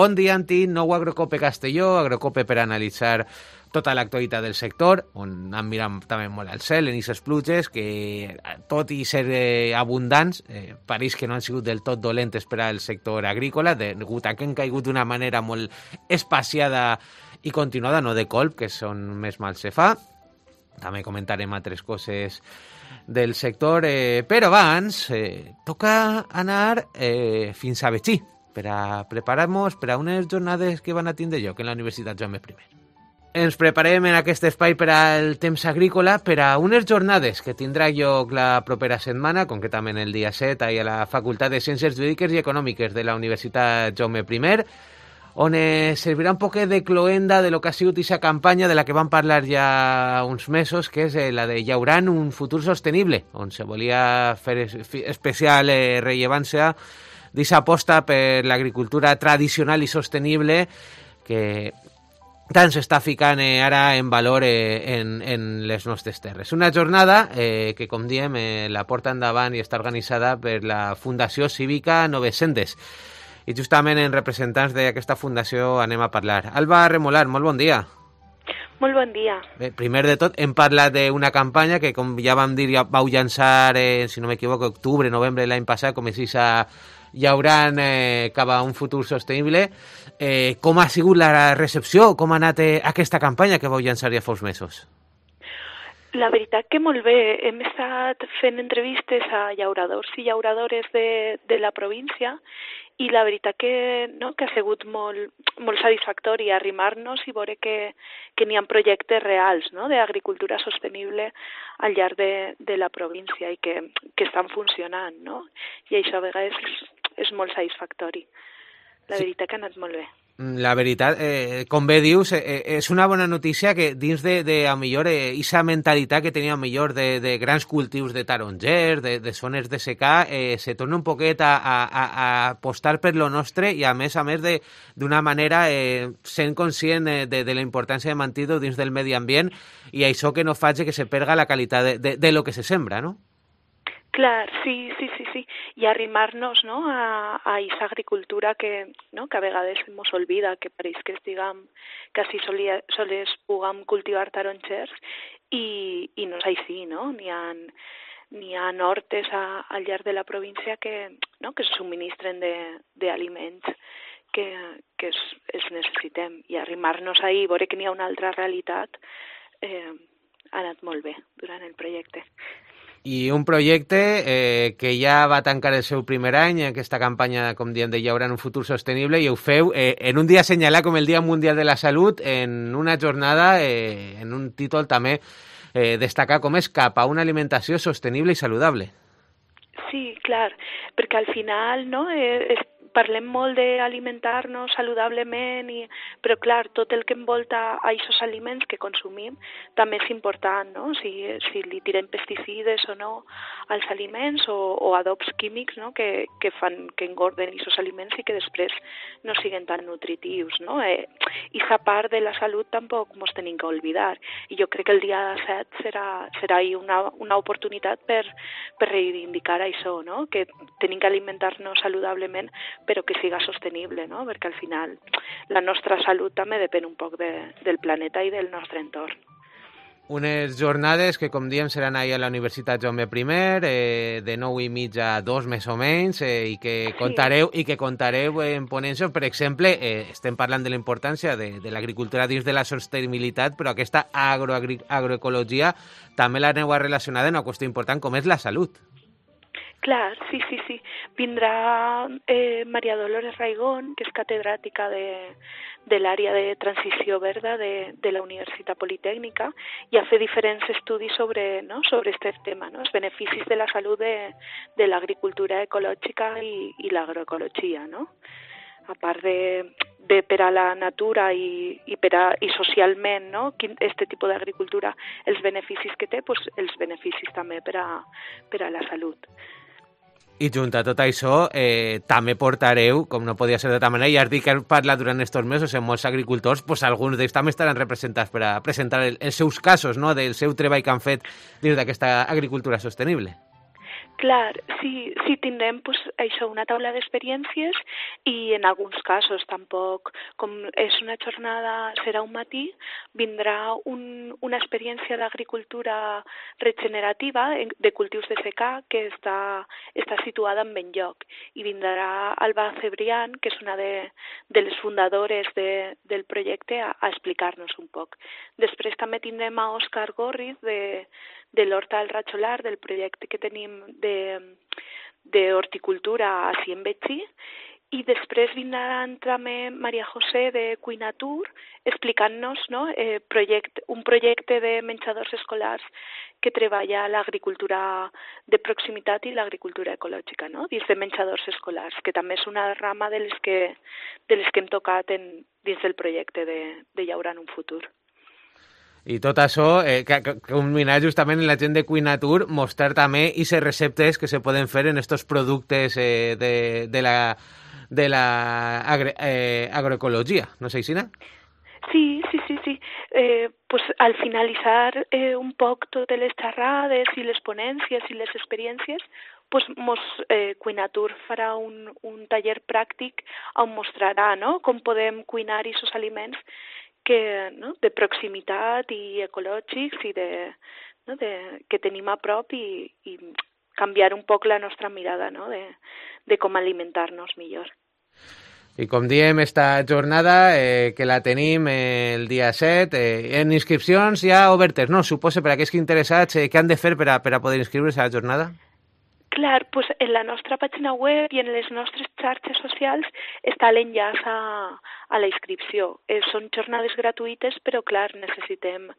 Bon dia, Antti, nou Agrocope Castelló, Agrocope per analitzar tota l'actualitat del sector, on han mirat també molt al cel en aquestes pluges, que tot i ser abundants, pareix que no han sigut del tot dolentes per al sector agrícola, degut a que han caigut d'una manera molt espaciada i continuada, no de colp, que és on més mal se fa. També comentarem altres coses del sector, però abans toca anar fins a Betxí per a preparar-nos per a unes jornades que van a tindre lloc en la Universitat Jaume I. Ens preparem en aquest espai per al temps agrícola per a unes jornades que tindrà lloc la propera setmana, concretament el dia 7, a la Facultat de Ciències Jurídiques i Econòmiques de la Universitat Jaume I, on servirà un poc de cloenda de lo que ha sigut aquesta campanya de la que vam parlar ja uns mesos, que és la de Llaurant un futur sostenible, on se volia fer especial rellevància d'aquesta aposta per l'agricultura tradicional i sostenible que tant s'està ficant ara en valor en les nostres terres. Una jornada que, com diem, la porta endavant i està organitzada per la Fundació Cívica Noves Sendes. I justament en representants d'aquesta fundació anem a parlar. Alba Remolar, molt bon dia. Molt bon dia. Bé, primer de tot, hem parlat d'una campanya que, com ja vam dir, ja vau llançar, si no m'equivoco, octubre, novembre l'any passat, com és a Llaurant cap a un futur sostenible. Com ha sigut la recepció? Com ha anat aquesta campanya que vau llançar ja fa uns mesos? La veritat que molt bé. Hem estat fent entrevistes a llauradors i llauradores de la província i la veritat que ha sigut molt satisfactori arrimar-nos i veure que n'hi ha projectes reals d'agricultura sostenible al llarg de la província i que estan funcionant, no? I això a vegades és molt satisfactori. La veritat que ha anat molt bé. La veritat, com bé dius, és una bona notícia que dins de a millor, aquesta mentalitat que tenia a millor de grans cultius de tarongers, de zones de secà, se torna un poquet a apostar per lo nostre i a més d'una manera sent conscient de la importància de mantenir-ho dins del medi ambient i això que no faci que se perga la qualitat de lo que se sembra, no? Clar, sí. I arrimar-nos a aquesta agricultura que a vegades ens olvida, que pareix que estiguem quasi sols puguem cultivar tarongers i no és així, no? N'hi ha hortes al llarg de la província que se subministren d'aliments que els necessitem. I arrimar-nos ahí, veure que n'hi ha una altra realitat, ha anat molt bé durant el projecte. I un projecte que ja va tancar el seu primer any, aquesta campanya, com diem, de Llaurant un futur sostenible, i ho feu en un dia assenyalat com el Dia Mundial de la Salut, en una jornada, en un títol també destacar com és cap a una alimentació sostenible i saludable. Sí, clar, perquè al final parlem molt d'alimentar-nos saludablement, però clar, tot el que envolta a aquests aliments que consumim també és important, no? Si li tirem pesticides o no als aliments o adobs químics que fan que engorden aquests aliments i que després no siguen tan nutritius, no? I aquesta part de la salut tampoc ens tenim que oblidar. I jo crec que el dia 7 serà una oportunitat per reivindicar això, no? Que tenim que alimentar-nos saludablement però que siga sostenible, no? Perquè al final la nostra salut també depèn un poc del planeta i del nostre entorn. Unes jornades que, com diem, seran ahir a la Universitat Jaume I, de 9:30 a 2 més o menys, i que contareu en ponències. Per exemple, estem parlant de la importància de l'agricultura dins de la sostenibilitat, però aquesta agroecologia també l'aneu a relacionar amb una qüestió important com és la salut. Clar, sí. Vindrà Maria Dolores Raigón, que és catedràtica de l'àrea de transició verda de la Universitat Politècnica i a fer diferents estudis sobre aquest tema, no? Els beneficis de la salut de l'agricultura ecològica i l'agroecologia, no? A part de per a la natura i socialment, no? Aquest tipus d'agricultura, els beneficis que té, doncs els beneficis també per a la salut. I junt a tot això, també portareu, com no podia ser d'altra manera, i has dit que heu parlat durant aquests mesos amb molts agricultors, doncs alguns d'ells també estaran representats per a presentar els seus casos, no?, del seu treball que han fet dins d'aquesta agricultura sostenible. Clar, sí tindrem pues, això, una taula d'experiències i en alguns casos tampoc, com és una jornada, serà un matí, vindrà una experiència d'agricultura regenerativa de cultius de secà que està situada en Benlloc i vindrà Alba Cebrián, que és una de les fundadores del projecte, a explicar-nos un poc. Després també tindrem a Òscar Gorriz de l'Horta del Ratxolar, del projecte que tenim d'horticultura així en Betxí, i després vindran també Maria José de Cuinatur explicant-nos, no, un projecte de menjadors escolars que treballa l'agricultura de proximitat i l'agricultura ecològica, no, dins de menjadors escolars, que també és una rama de les que hem tocat dins del projecte de Llaurant un futur. I tot això, que combinat justament en la gent de Cuinatur, mostrar també aquestes receptes que se poden fer en estos productes de la agroecologia. No sé, Isina? Sí. Pues al finalitzar un poc totes les xerrades i les ponències i les experiències, pues Cuinatur farà un taller pràctic on mostrarà, no, com podem cuinar aquests aliments de proximitat i ecològics i que tenim a prop i canviar un poc la nostra mirada, no, de com alimentar-nos millor. I com diem, esta jornada que la tenim el dia 7, en inscripcions ja obertes, no? Suposo per a aquells que interessats, què han de fer per a poder inscriure's a la jornada? Clar, pues en la nostra pàgina web i en les nostres xarxes socials està l'enllaç a la inscripció. Són jornades gratuïtes, però clar, necessitem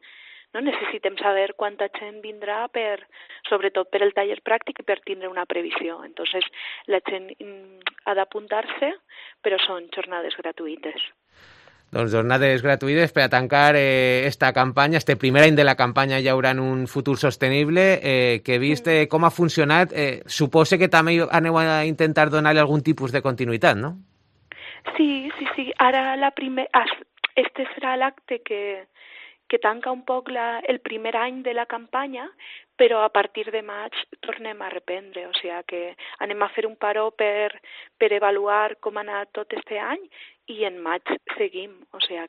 saber quanta gent vindrà, sobretot per el taller pràctic i per tindre una previsió. Entonces, la gent ha d'apuntar-se, però són jornades gratuïtes. Doncs jornades gratuïtes per a tancar esta campanya, este primer any de la campanya Llaurant un futur sostenible, que he vist com ha funcionat. Suposo que també aneu a intentar donar-li algun tipus de continuïtat, no? Sí. Ara este serà l'acte que tanca un poc el primer any de la campanya, però a partir de maig tornem a reprendre, o sigui que anem a fer un paró per avaluar com ha anat tot este any i en maig seguim, o sigui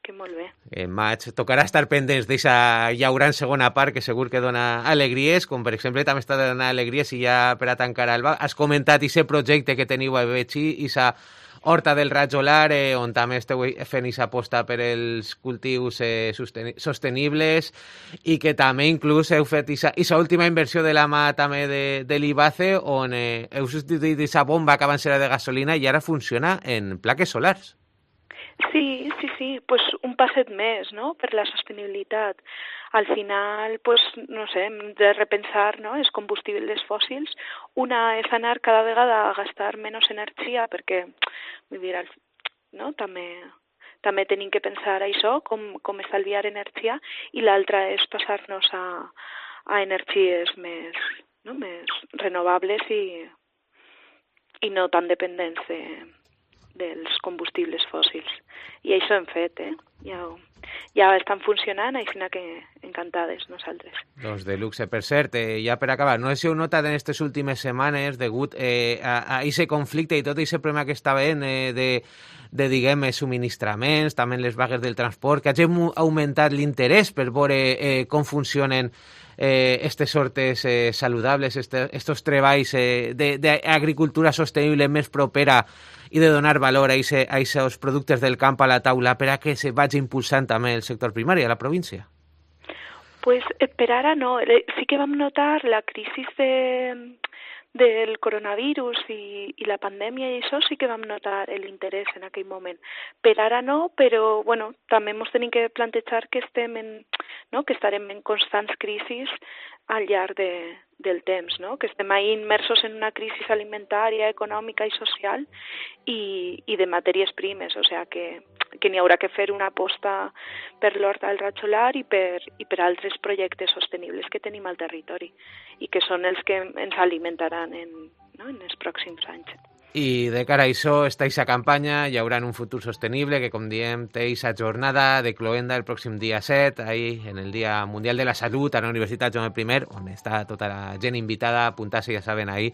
que molt bé. En maig tocarà estar pendents d'aquesta Llaurant segona part, que segur que dona alegries, com per exemple també està donant alegries, i ja per a tancar, Alba, has comentat aquest projecte que teniu a Betxí, aquesta Horta del Ratxolar, on també esteu fent aquesta aposta per els cultius sostenibles, i que també inclús heu fet aquesta última inversió de la mà també de l'IBACE, on heu substituït aquesta bomba que abans era de gasolina i ara funciona en plaques solars. Sí, pues un passet més, no?, per la sostenibilitat. Al final, pues, no sé, hem de repensar, no?, els combustibles fòssils. Una és anar cada vegada a gastar menys energia, perquè, vull dir, no?, també tenim que pensar això, com estalviar energia, i l'altra és passar-nos a energies més renovables i no tan dependents dels combustibles fòssils. I això hem fet, ja estan funcionant, així que encantades nosaltres. Doncs de luxe. Per cert, ja per acabar, no sé si heu notat en aquestes últimes setmanes, degut a aquest conflicte i tot aquest problema que està havent de subministraments, també les vagues del transport, que hagin augmentat l'interès per veure com funcionen aquestes sortes saludables, estos treballs d'agricultura sostenible més propera i de donar valor a aquests productes del camp a la taula per a que se vagi impulsant també el sector primari a la província? Pues per ara no. Sí que vam notar la crisi del coronavirus i la pandèmia, i això sí que vam notar l'interès en aquell moment. Per ara no, però bueno, també ens tenim que plantejar que estarem en constants crisis al llarg del temps, no? Que estem ahí immersos en una crisi alimentària, econòmica i social i de matèries primes, o sigui que n'hi haurà que fer una aposta per l'Horta del Ratxolar i per altres projectes sostenibles que tenim al territori i que són els que ens alimentaran en els pròxims anys. I de cara a això, està aquesta campanya, hi haurà un futur sostenible que, com diem, té aquesta jornada de cloenda el pròxim dia 7, ahí, en el Dia Mundial de la Salut, a la Universitat Joan I, on està tota la gent invitada a apuntar-se, ja saben, ahí,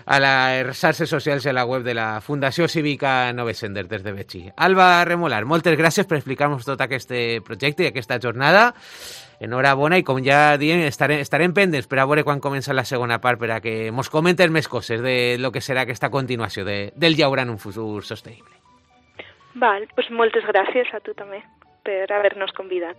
a les xarxes socials i a la web de la Fundació Cívica Novesender des de Betxí. Alba Remolar, moltes gràcies per explicar-nos tot aquest projecte i aquesta jornada. Enhorabona, i com ja diem, estarem pendents per a veure quan comença la segona part per a que mos comentes més coses de lo que serà aquesta continuació del llaurant un futur sostenible. Val, pues moltes gràcies a tu també per haver-nos convidat.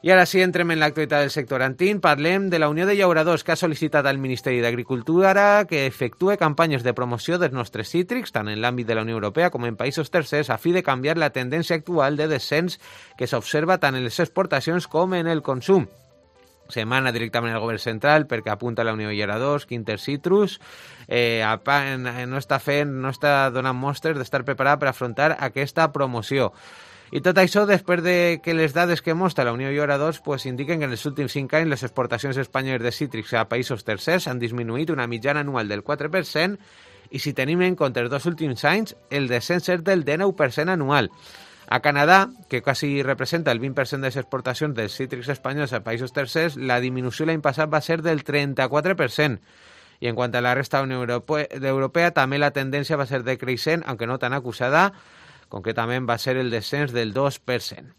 I ara sí, entrem en l'actualitat del sector antin. Parlem de la Unió de Llauradors, que ha sol·licitat al Ministeri d'Agricultura que efectue campanyes de promoció dels nostres cítrics, tant en l'àmbit de la Unió Europea com en països tercers, a fi de canviar la tendència actual de descens que s'observa tant en les exportacions com en el consum. Semana directament al govern central perquè apunta la Unió de Llauradors que Intercitrus no està donant mostres d'estar preparat per afrontar aquesta promoció. I tot això després de que les dades que mostra la Unió de Llauradors indiquen que en els últims 5 anys les exportacions espanyoles de cítrics a països tercers han disminuït una mitjana anual del 4% i si tenim en compte els 2 últims anys, el descens és del 19% anual. A Canadà, que quasi representa el 20% de les exportacions dels cítrics espanyols a països tercers, la disminució l'any passat va ser del 34%. I en quant a la resta de la Unió Europea, també la tendència va ser decreixent, aunque no tan acusada, concretament va ser el descens del 2%.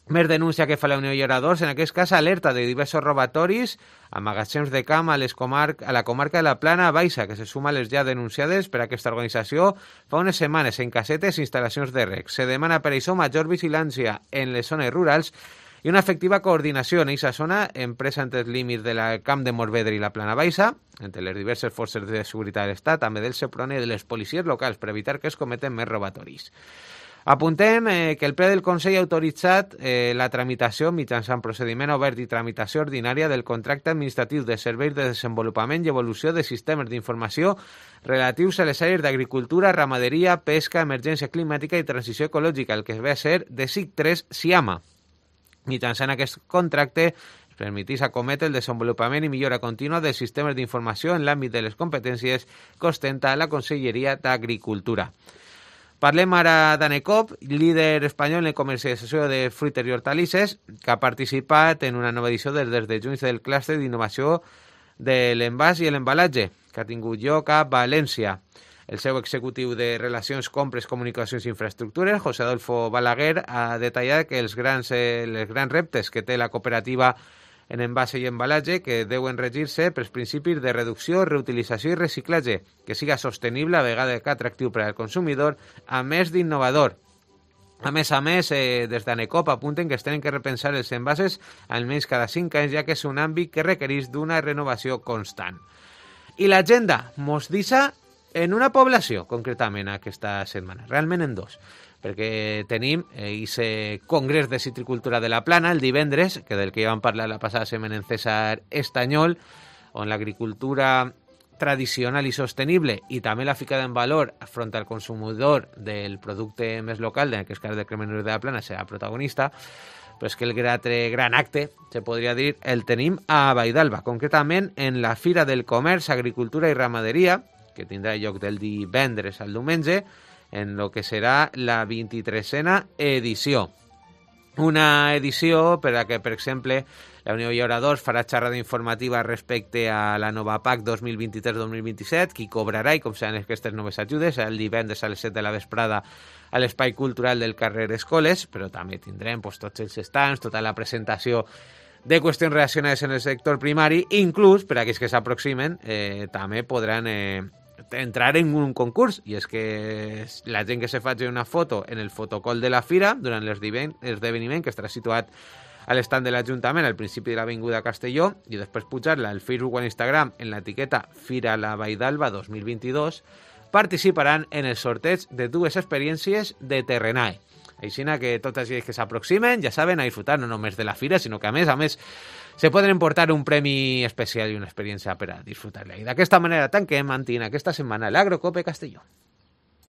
Més denúncia que fa la Unió de Llauradors, en aquest cas alerta de diversos robatoris a magatzems de camp a la comarca de la Plana Baixa, que se suma a les ja denunciades per aquesta organització fa unes setmanes en casetes i instal·lacions de rec. Se demana per això major vigilància en les zones rurals i una efectiva coordinació en aquesta zona empresa entre els límits del camp de Morvedre i la Plana Baixa, entre les diverses forces de seguretat de l'Estat, també del Seprona i de les policies locals per evitar que es cometen més robatoris. Apuntem que el ple del Consell ha autoritzat la tramitació mitjançant procediment obert i tramitació ordinària del contracte administratiu de serveis de desenvolupament i evolució de sistemes d'informació relatius a les àrees d'agricultura, ramaderia, pesca, emergència climàtica i transició ecològica, el que ve a ser de SIC3 SIAMA. Mitjançant aquest contracte es permetís acometre el desenvolupament i millora contínua dels sistemes d'informació en l'àmbit de les competències que ostenta la Conselleria d'Agricultura. Parlem ara d'Anecop, líder espanyol en la comercialització de fruites i hortalisses, que ha participat en una nova edició des de juny del clúster d'innovació de l'envàs i l'embalatge, que ha tingut lloc a València. El seu executiu de Relacions, Compres, Comunicacions i Infraestructures, José Adolfo Balaguer, ha detallat que els grans reptes que té la cooperativa en envase i embalatge que deuen regir-se pels principis de reducció, reutilització i reciclatge, que siga sostenible a vegada que atractiu per al consumidor, a més d'innovador. A més, des d'Anecop apunten que es tenen que repensar els envases almenys cada 5 anys, ja que és un àmbit que requereix d'una renovació constant. I l'agenda mos deixa en una població, concretament, aquesta setmana, realment en 2, perquè tenim aquest Congrés de Citricultura de la Plana el divendres, que del que ja vam parlar la passada setmana en César Estanyol, on l'agricultura tradicional i sostenible i també la ficada en valor front al consumidor del producte més local, en aquest cas del Cremenur de la Plana, serà protagonista, però és que el gran acte, se podria dir, el tenim a Vaidalba, concretament en la Fira del Comerç, Agricultura i Ramaderia, que tindrà lloc del divendres al diumenge, en lo que serà la 23a edició. Una edició per a que, per exemple, la Unió de Llauradors farà xerrada informativa respecte a la nova PAC 2023-2027, qui cobrarà i com seran aquestes noves ajudes el divendres a les 7 de la vesprada a l'Espai Cultural del carrer Escoles, però també tindrem tots els stands, tota la presentació de qüestions relacionades en el sector primari, inclús per a aquells que s'aproximen també podran entrar en un concurs, i és que la gent que se faci una foto en el fotocol de la fira durant l'esdeveniment, que estarà situat a l'estand de l'Ajuntament al principi de l'Avinguda Castelló, i després pujar-la al Facebook o a l'Instagram en l'etiqueta Fira la Vaidalba 2022, participaran en el sorteig de 2 experiències de Terrenae. Així que tots els que s'aproximen ja saben a disfrutar no només de la fira, sinó que a més se poden emportar un premi especial i una experiència per a disfrutar-la. I d'aquesta manera tanquem, Antina, aquesta setmana l'Agrocope Castelló.